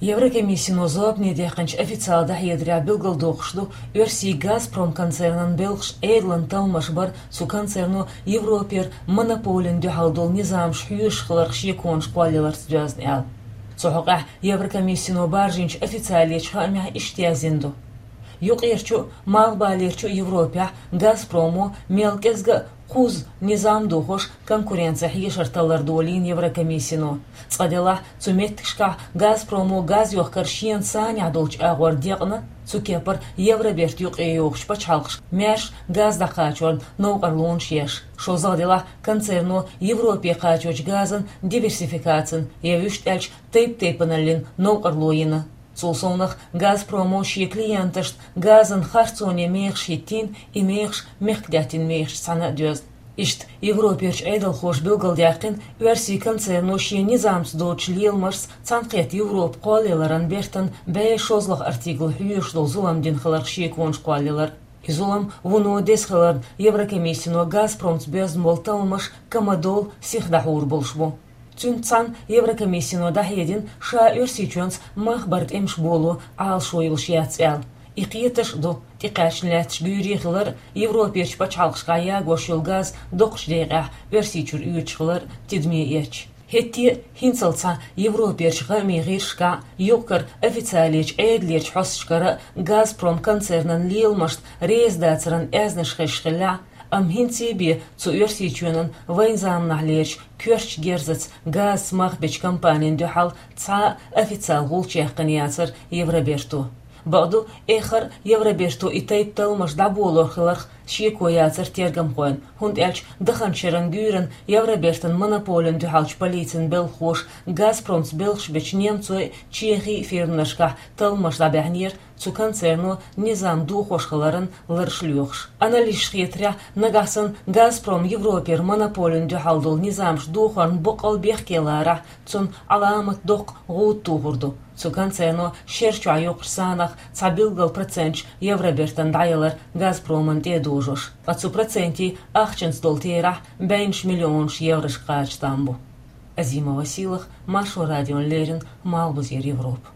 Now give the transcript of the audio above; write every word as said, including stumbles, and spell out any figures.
Еврокомиссино зорбане даьккхинчу официалан дӀахьедарехь билгалдоккхуш ду, Оьрсийн «Газпром» концернан белхаш Ӏедалан талламаш бар цу концерно Европера монополина дуьхьал долу низамаш хьоьшуш хиларх шеконаш кхоллаяларца доьзна аьлла. Цу хьокъехь Еврокомиссино баржийначу официалечу хаамехь иштта яздина ду: юкъерчу а, малхбалерчу а Европехь «Газпромо» мел кӀезга а кхузза низам дохош конкуренцин хьешар таллар долийна Еврокомиссино. Цкъа делахь, цу меттигашкахь «Газпромо» газ йохкар шена санехь долчу агӀор декъна, цу кепара Евроберта юкъе йогӀучу пачхьалкхашка маьрша газ дӀакхачорна новкъарлонаш еш. ШозлагӀа делахь, концерно Европе кхачочу газан диверсификацина, я вуьшта аьлча тайп-тайпаналлин новкъарло йина. Цул совнах, «Газпромо» шен клиенташна газан харцоне мехаш хӀиттийна, и мехаш мехкдаьттина мехашца цхьаьна а доьзна. Иштта Европерчу Ӏедалхоша билгалдаьккхина, Оьрсийн концерно шен низамца доцучу леламашца цхьаьнакхетта Европа кхоллаяларан бертан бӀе шолгӀа артикл хьоьшуш долу зулам дина хиларх шеконаш кхоллаялар. И зулам вуно деза хиларна, Еврокомиссино «Газпромца» боьзна болу талламаш кама долу сиха дӀахьур болуш бу. Цуьнца цхьаьна Еврокомиссино дӀахьедина, ша Оьрсийчоьнца мах баран тӀемаш боло Ӏалашо йолуш яц аьлла. И кхеташ а ду, тӀекхаьчна лаьтташ гуьйре хилар а, Европерчу пачхьалкхашкахь ягош йолу газ доккхачу декъехь Оьрсийчуьра оьцуш хилар а тидаме эцча. ХӀетте а хӀинццалц цхьа Европерчу хаамийн гӀирсашкахь а, юкъ-кара официалечу Ӏедалерчу хьосташкара а «Газпром» концернан леламашна реза дацаран аьзнаш хезаш хиллехь а, амма хӀинца бен цу Оьрсийчоьнан вайн заманахьлерчу коьртачу герзаца газца мах бечу компанина дуьхьал цхьа а официалан гӀулч яьккхина яцара Евроберто. Бакъду, эххар а Евроберто и тайпа талламаш дӀаболор хиларх шеко яцара тергамхойн, хӀунда аьлча даханчу шеран гуьйранна Евробертан монополина дуьхьалчу полицин белхахоша «Газпромца» белхаш бечу немцойн а, чехийн а фирманашкахь талламаш дӀабаьхьнера, цу концерно низам дохош хиларан лараш лоьхуш. Аналисташна хетарехь, нагахь санна «Газпром» Европера монополина дуьхьал долу низамаш дохорна боккъал бехке ларахь, цунна Ӏаламат доккха гӀуда тухур ду. Цу концерно шер чохь йоккхучу санах цхьа билггал проценташ Евробертана дӀаялар «Газпромана» тӀе а дожош. Ткъа цу процентийн ахчанца долу терахь бӀеннаш миллионаш еврошка кхача там бу. Азима Василах, Маршо радиона леррина, Малхбузера Европа.